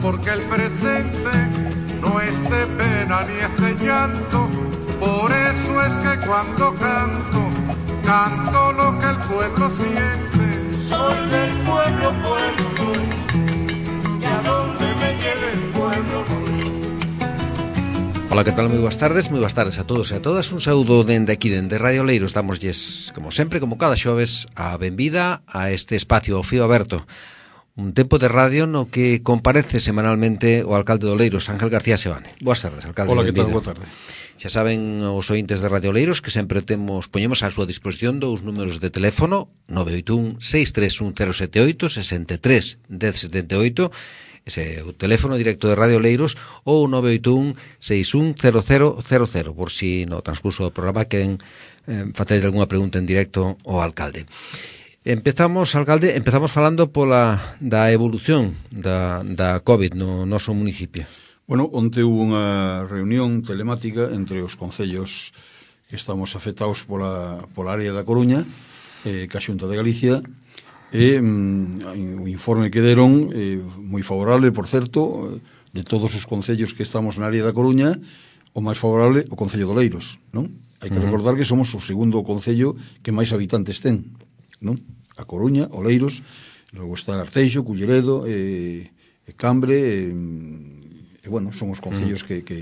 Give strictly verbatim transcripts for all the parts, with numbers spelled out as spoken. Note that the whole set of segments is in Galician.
porque el presente no es de pena ni es de llanto. Por eso es que cuando canto, canto lo que el pueblo siente. Soy del pueblo, pueblo soy, y a donde me lleve el pueblo voy. Ola, que tal? Moi boas tardes, moi boas tardes a todos e a todas. Un saúdo dende aquí, dende Radio Oleiros. Damoslles, como sempre, como cada xoves, a benvida a este espacio ao fío aberto. Un tempo de radio no que comparece semanalmente o alcalde de Oleiros, Ángel García Seoane. Boas tardes, alcalde. Ola, que tal? Benvido. Boa tarde. Xa saben os ointes de Radio Oleiros que sempre temos poñemos á súa disposición dous números de teléfono: nove oito un, seis tres un, cero sete oito, sesenta e tres, dez setenta e oito, ese é o teléfono directo de Radio Oleiros, ou nove oito un, seis un, cero cero cero cero, por si no transcurso do programa queren eh, facer algunha pregunta en directo ao alcalde. Empezamos, alcalde, empezamos falando pola da evolución da, da COVID no noso municipio. Bueno, onte hubo unha reunión telemática entre os concellos que estamos afectados pola, pola área da Coruña, eh, que a Xunta de Galicia, e mm, o informe que deron eh, moi favorable, por certo, de todos os concellos que estamos na área da Coruña, o máis favorable o Concello de Oleiros, non? Hai que uh-huh. recordar que somos o segundo concello que máis habitantes ten, non? A Coruña, Oleiros, logo está Arteixo, Culleredo, e, e Cambre, e, e bueno, son os concellos uh-huh. que, que,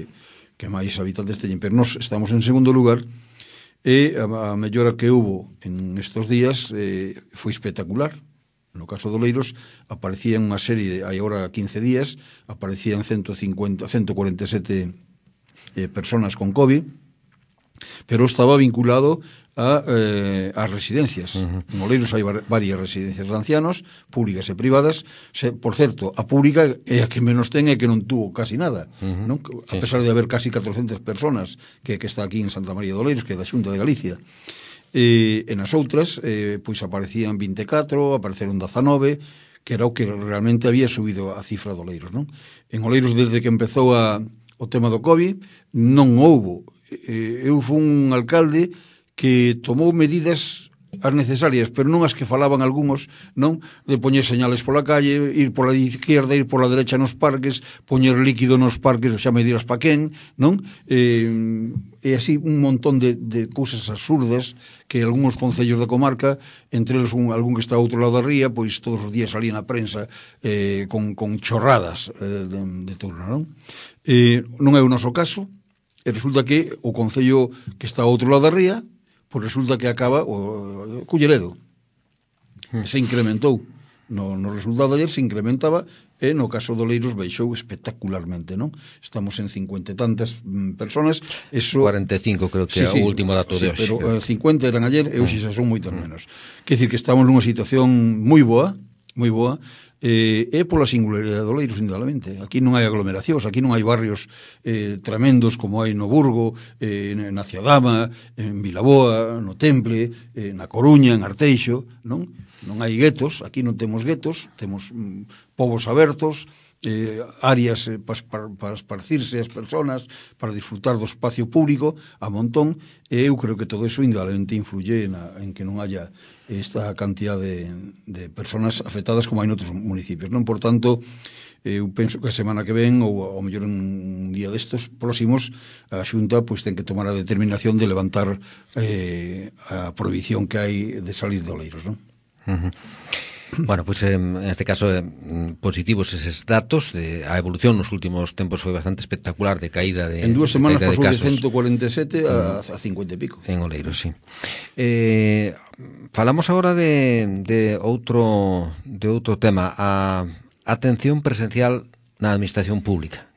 que máis habitantes teñen, pero nós estamos en segundo lugar. E a, a mellora que hubo en estes días eh, foi espectacular. No caso de Oleiros aparecía unha serie, de, hai agora quince días, aparecían ciento cincuenta, ciento cuarenta e sete eh, personas con COVID, pero estaba vinculado a eh, as residencias. Uh-huh. En Oleiros hai varias residencias de ancianos, públicas e privadas. Se, por certo, a pública é a que menos ten e que non tuvo casi nada, uh-huh. non? A sí, pesar sí. de haber casi catrocentas personas que, que está aquí en Santa María de Oleiros, que é da Xunta de Galicia. E, en as outras, eh, pois aparecían vinte e catro, apareceron dezanove, que era o que realmente había subido a cifra de Oleiros, non? En Oleiros, desde que empezou a, o tema do COVID, non houbo. Eh, eu fui un alcalde que tomou medidas as necesarias, pero non as que falaban algúns, non? De poñer señales pola calle, ir pola izquierda, ir pola derecha nos parques, poñer líquido nos parques, xa me dirás pa quen, non? Eh, e así un montón de, de cousas absurdas que algúns concellos da comarca, entre eles un, algún que está ao outro lado da ría, pois todos os días salían na prensa eh, con, con chorradas eh, de, de turno, non? Eh, non é o noso caso, e resulta que o concello que está ao outro lado da ría, pois resulta que acaba o Culleredo. Se incrementou. No, no resultado de ayer se incrementaba e no caso de Oleiros baixou espectacularmente, non? Estamos en cincuenta e tantas mm, personas. Eso... cuarenta e cinco creo que é sí, sí, o último dato sí, de hoxe. Pero eh, cincuenta eran ayer e hoxe xa son moitas menos. Quer dicir que estamos nunha situación moi boa, moi boa, eh, é pola singularidade de Oleiros, indudablemente. Aquí non hai aglomeracións, aquí non hai barrios eh, tremendos como hai no Burgo, eh, na Ciadama, en Vilaboa, no Temple, eh, na Coruña, en Arteixo, non? Non hai guetos, aquí non temos guetos, temos mm, povos abertos, eh, áreas eh, para, para, para esparcirse as persoas, para disfrutar do espacio público a montón, e eu creo que todo eso indudablemente influye na, en que non haya esta cantidad de, de persoas afectadas como hai noutros municipios, non? Por tanto, eu penso que a semana que ven, ou ao mellor un día destes próximos, a Xunta pois ten que tomar a determinación de levantar eh, a prohibición que hai de salir de Oleiros, non? Uh-huh. Bueno, pois pues, en este caso eh, positivos eses datos de, a evolución nos últimos tempos foi bastante espectacular de caída de en dúas semanas pasou de, de ciento cuarenta e sete a, a cincuenta e pico en Oleiros, sí. Eh, falamos agora de, de outro de outro tema, a atención presencial na administración pública,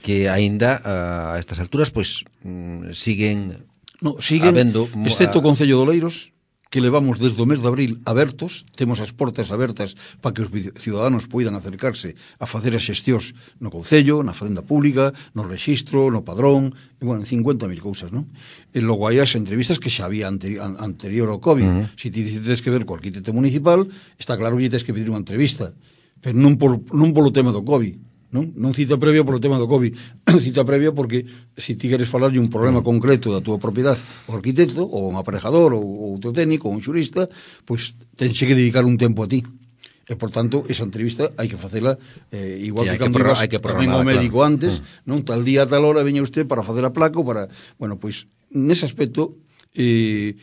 que aínda a estas alturas pois pues, siguen no, siguen habendo, excepto o Concello de Oleiros, que levamos desde o mes de abril abertos, temos as portas abertas para que os ciudadanos poidan acercarse a facer as xestións no Concello, na Facenda Pública, no Rexistro, no Padrón, e, bueno, cincuenta mil cousas, non? E logo hai as entrevistas que xa había anteri anterior ao COVID. Uh-huh. Se ti tens que ver co arquitecto municipal, está claro que tens que pedir unha entrevista, pero non, por, non polo tema do COVID, non? Non cita previa polo tema do COVID, cita previa porque se ti queres falar de un problema concreto da túa propiedade o arquitecto, ou un aparejador, ou outro técnico, ou un xurista, pois tense que dedicar un tempo a ti. E, por tanto, esa entrevista hai que facela eh, igual sí, que cando ibas tamén ao médico claro. antes, mm. non? Tal día, tal hora, veña usted para facer a placa ou para... Bueno, pois, nese aspecto, eh,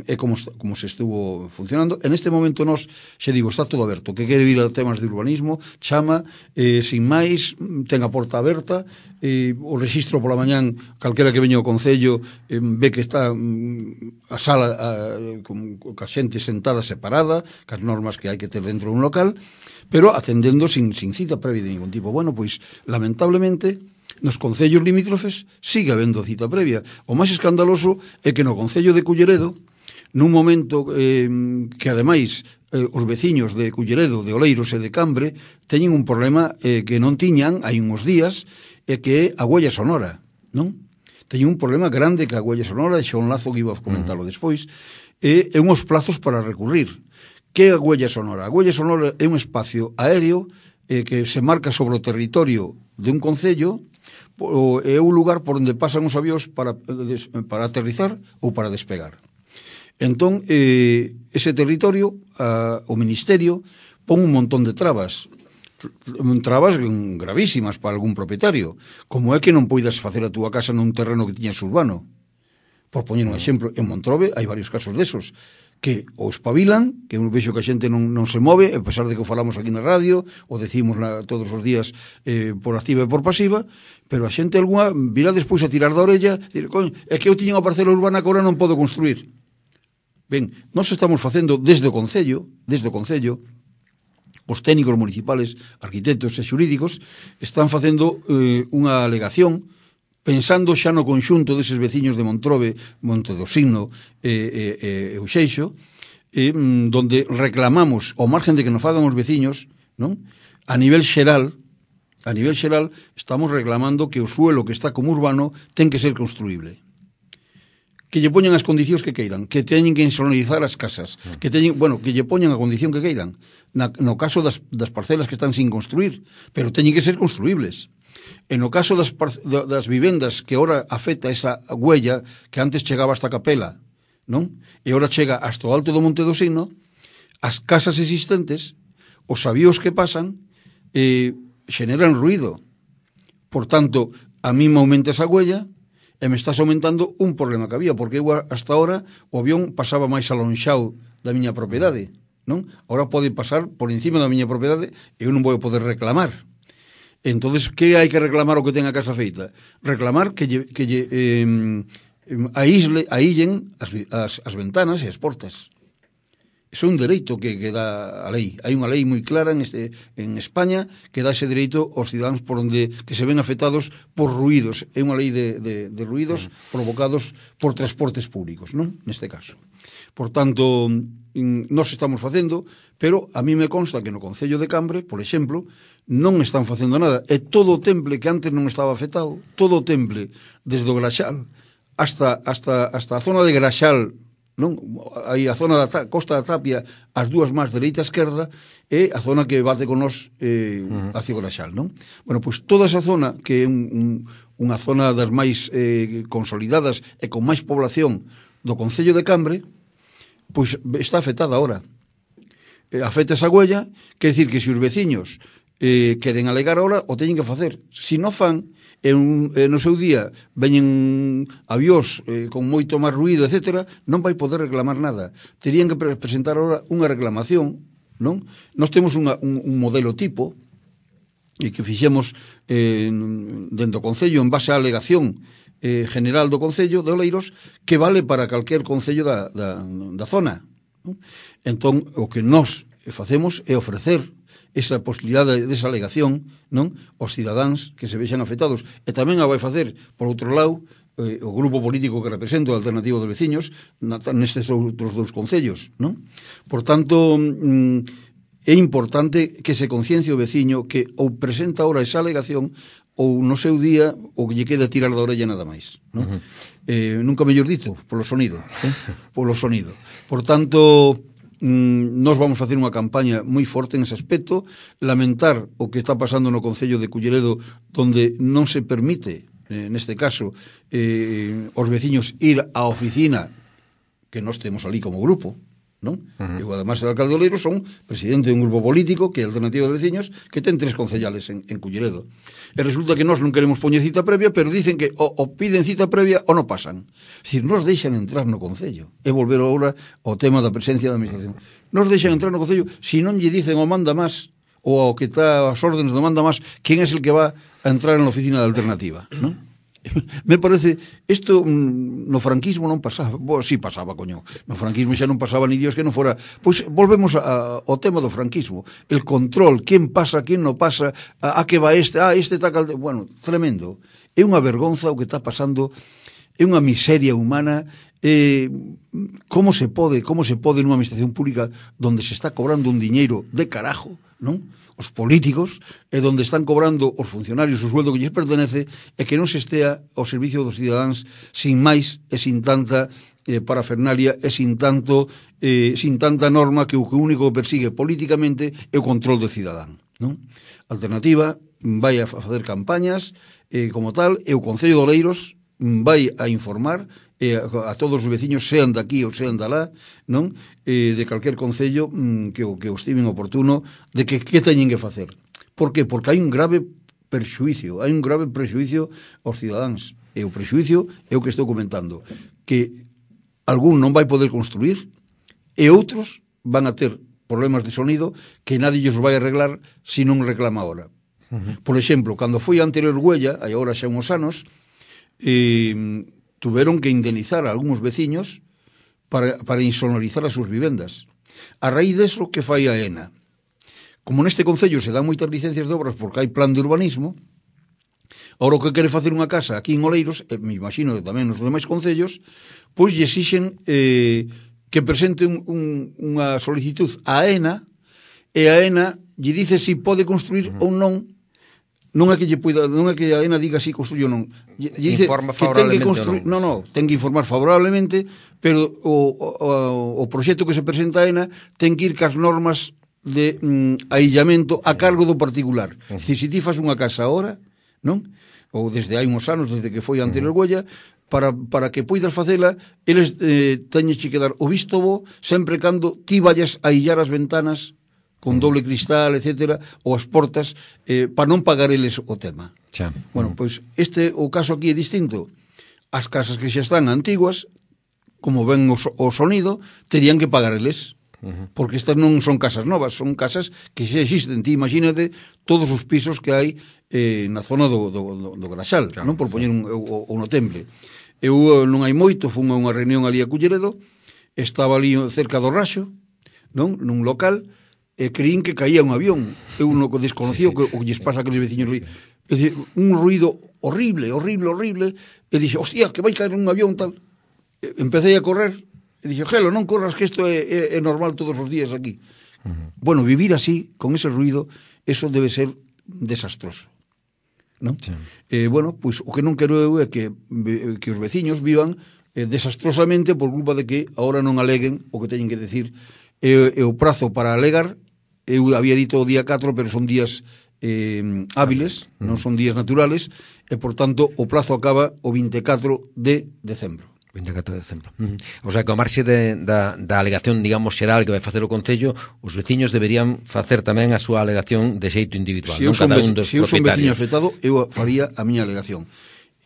é como, como se estuvo funcionando. En este momento nos, xe digo, está todo aberto. Que quere vir a temas de urbanismo, chama, eh, sin máis, ten a porta aberta, eh, o registro pola mañán, calquera que veña ao Concello, eh, ve que está mm, a sala a, con, con a xente sentada separada, cas normas que hai que ter dentro dun local, pero atendendo sin, sin cita previa de ningún tipo. Bueno, pois, lamentablemente, nos concellos limítrofes sigue habendo cita previa. O máis escandaloso é que no concello de Culleredo, nun momento eh, que ademais eh, os veciños de Culleredo, de Oleiros e de Cambre teñen un problema eh, que non tiñan hai uns días, e que é a huella sonora, non? Teñen un problema grande que a huella sonora, e xa un lazo que iba a comentarlo despois, e, e unhos plazos para recurrir. Que é a huella sonora? A huella sonora é un espacio aéreo eh, que se marca sobre o territorio de un concello, é un lugar por onde pasan os avións para, para aterrizar ou para despegar. Entón, eh, ese territorio, a, o Ministerio, pon un montón de trabas, trabas gravísimas para algún propietario, como é que non poidas facer a túa casa nun terreno que tiñas urbano. Por poñer un exemplo, en Montrobe hai varios casos desos, que o espabilan, que un vexo que a xente non, non se move, a pesar de que o falamos aquí na radio, o decimos na, todos os días eh, por activa e por pasiva, pero a xente alguna virá despois a tirar da orella e dir, coño, é que eu tiña unha parcela urbana que agora non podo construir. Ben, nós estamos facendo desde o Concello, desde o Concello, os técnicos municipales, arquitectos e xurídicos, están facendo eh, unha alegación pensando xa no conxunto deses veciños de Montrobe, Monte do Signo e, e, e Uxeixo, e, donde reclamamos, ao margen de que nos fagan os veciños, non? A nivel xeral, a nivel xeral, estamos reclamando que o suelo que está como urbano ten que ser construíble. Que lle poñan as condicións que queiran, que teñen que insonorizar as casas, que teñen, bueno, que lle poñan a condición que queiran, na, no caso das, das parcelas que están sin construir, pero teñen que ser construíbles. E no caso das, das vivendas que ora afecta esa huella que antes chegaba hasta a capela, non? E ora chega hasta o alto do Monte do Signo, as casas existentes, os avións que pasan, eh, xeneran ruido. Por tanto, a mí me aumenta esa huella e me estás aumentando un problema que había, porque eu hasta ahora o avión pasaba máis alonxado da miña propiedade, non? Ahora pode pasar por encima da miña propiedade e eu non vou poder reclamar. Entonces, que hai que reclamar o que ten a casa feita? Reclamar que lle, que lle eh, aísle, aíllen as, as, as ventanas e as portas. Iso é un dereito que, que dá a lei. Hai unha lei moi clara en, este, en España que dá ese dereito aos cidadáns por onde que se ven afectados por ruídos. É unha lei de, de, de ruídos provocados por transportes públicos, non? Neste caso. Por tanto, nós estamos facendo, pero a mí me consta que no Concello de Cambre, por exemplo, non están facendo nada. E todo o temple que antes non estaba afectado, todo o temple, desde o Graxal hasta, hasta, hasta a zona de Graxal, non? Aí a zona da ta, Costa da Tapia, as dúas máis dereita e esquerda, é a zona que bate con nós eh, uh-huh. hacia o Graxal, non? Bueno, pois toda esa zona, que é un, un, unha zona das máis eh, consolidadas e con máis población do Concello de Cambre, pois está afectada agora. Eh, afecta esa huella, quer dicir que se os veciños eh, queren alegar ahora, o teñen que facer. Se non fan, e un, eh, no seu día veñen avións eh, con moito máis ruído, etcétera, non vai poder reclamar nada. Terían que pre presentar ahora unha reclamación, non? Nós temos unha, un, un modelo tipo e que fixemos eh, dentro do Concello en base á alegación eh, general do Concello de Oleiros, que vale para calquer concello da, da, da zona, non? Entón, o que nós facemos é ofrecer esa posibilidade desa alegación, non, aos cidadáns que se vexan afectados. E tamén a vai facer, por outro lado, eh, o grupo político que represento, a Alternativa dos Veciños, na, nestes outros dous concellos, non? Por tanto, mm, é importante que se conciencie o veciño que ou presenta ahora esa alegación ou no seu día o que lle queda tirar da orella nada máis, non? Uh-huh. eh, nunca mellor dito, polo sonido, eh? polo sonido. Por tanto, nós vamos facer unha campaña moi forte nese aspecto, lamentar o que está pasando no Concello de Culleredo, donde non se permite, eh, neste caso, eh, os veciños ir á oficina que nós temos ali como grupo, non? Uh-huh. Eu, además, de alcalde de Oleiros, son presidente dun grupo político que é Alternativa de Veciños, que ten tres concellales en, en Culleredo. E resulta que nós non queremos poñer cita previa, pero dicen que o, o piden cita previa ou non pasan. Es decir, nos deixan entrar no concello. E volver agora ao tema da presencia da administración. Nos deixan entrar no concello, se non lle dicen o manda máis, ou ao que está as órdenes do manda máis, quen é el que va a entrar na oficina de Alternativa, non? Me parece, isto no franquismo non pasaba, bo, sí pasaba, coño, no franquismo xa non pasaba ni Dios que non fora, pois volvemos a, a, ao tema do franquismo, el control, quen pasa, quen non pasa, a, a que va este, ah, este está calde, bueno, tremendo, é unha vergonza o que está pasando, é unha miseria humana, eh, como se pode, como se pode nunha administración pública donde se está cobrando un diñeiro de carajo, non? Os políticos, e donde están cobrando os funcionarios o sueldo que lles pertenece, e que non se estea ao servicio dos cidadáns sin máis e sin tanta eh, parafernalia e sin tanto eh, sin tanta norma que o que único que persigue políticamente é o control do cidadán, non? Alternativa vai a facer campañas eh, como tal, e o Concello de Oleiros vai a informar eh, a, a todos os veciños, sean daqui ou sean dalá, non? Eh, de calquer concello mm, que, o, que o estimen oportuno, de que que teñen que facer. Por que? Porque hai un grave perxuicio, hai un grave prexuicio aos cidadáns. E o prexuicio é o que estou comentando, que algún non vai poder construir e outros van a ter problemas de sonido que nadie os vai arreglar se non reclama ahora. Uh-huh. Por exemplo, cando foi a anterior huella, hai agora xa uns anos, eh, tuveron que indemnizar a algúns veciños para, para insonorizar as súas vivendas. A raíz deso, que fai a ENA? Como neste concello se dan moitas licencias de obras porque hai plan de urbanismo, ahora o que quere facer unha casa aquí en Oleiros, e me imagino que tamén nos demais concellos, pois lle exixen eh, que presente un, un, unha solicitud a ENA, e a ENA lle dice se si pode construir uh-huh. ou non. Non é que lle puida, non é que a ENA diga si construye ou non. Lle dice informa que ten que construir, non, non, ten que informar favorablemente, pero o, o, o proxecto que se presenta a ENA ten que ir cas normas de mm, aillamento a cargo do particular. Uh -huh. Se si ti fas unha casa ahora, non? Ou desde hai uns anos, desde que foi a anterior uh -huh. huella, para, para que poidas facela, eles eh, teñes que dar o visto bo sempre cando ti vayas a illar as ventanas con doble cristal, etcétera, ou as portas, eh, para non pagar eles o tema. Xa. Bueno, pois este, o caso aquí é distinto. As casas que xa están antiguas, como ven o, o sonido, terían que pagar eles. Uh-huh. Porque estas non son casas novas, son casas que xa existen. Ti imagínate todos os pisos que hai eh, na zona do, do, do, do Graxal, claro, non? Por poñer un, o, o no temple. Eu non hai moito, fun a unha reunión ali a Culleredo, estaba ali cerca do Raxo, non? Nun local, e creín que caía un avión. Eu non desconocía sí, sí. o que o lles pasa a aqueles veciños. Sí, sí. É dicir, un ruido horrible, horrible, horrible, e dixe, hostia, que vai caer un avión tal. E empecé a correr, e dixe, Gelo, non corras, que isto é, é, é normal todos os días aquí. Uh-huh. Bueno, vivir así, con ese ruido, eso debe ser desastroso, non? Sí. Eh, bueno, pois pues, o que non quero eu é que, que os veciños vivan eh, desastrosamente por culpa de que agora non aleguen o que teñen que decir. E, e o prazo para alegar, eu había dito o día catro, pero son días eh, hábiles, uh-huh. non son días naturales, e, por tanto, o plazo acaba o vinte e catro de decembro. vinte e catro de decembro. Uh-huh. O sea, que ao marxe de, da, da alegación, digamos, xeral que vai facer o Concello, os veciños deberían facer tamén a súa alegación de xeito individual, se non cada un dos se eu son veciño afectado, eu faría a miña alegación.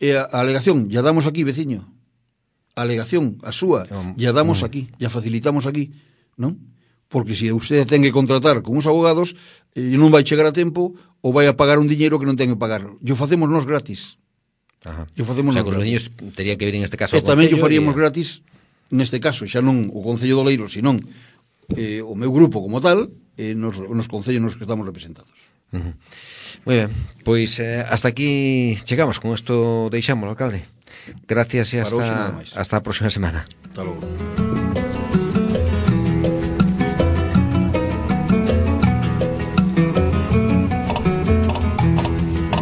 E a, a alegación, ya damos aquí, veciño. A alegación, a súa, ya damos uh-huh. aquí, ya facilitamos aquí, non? Porque se usted ten que contratar con uns abogados, e non vai chegar a tempo, ou vai a pagar un diñeiro que non ten que pagar. Yo facemos nós gratis. Ajá. Yo facemos o sea, nós que os veciños terían que vir en este caso ao Concello. E tamén yo faríamos e... gratis, neste caso, xa non o Concello de Oleiros, senón eh, o meu grupo como tal, eh, nos, nos concellos nos que estamos representados. Uh-huh. Moi ben, pois eh, hasta aquí chegamos, con isto deixamos, alcalde. Gracias e hasta, hasta a próxima semana. Hasta logo.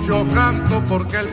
Yo canto porque el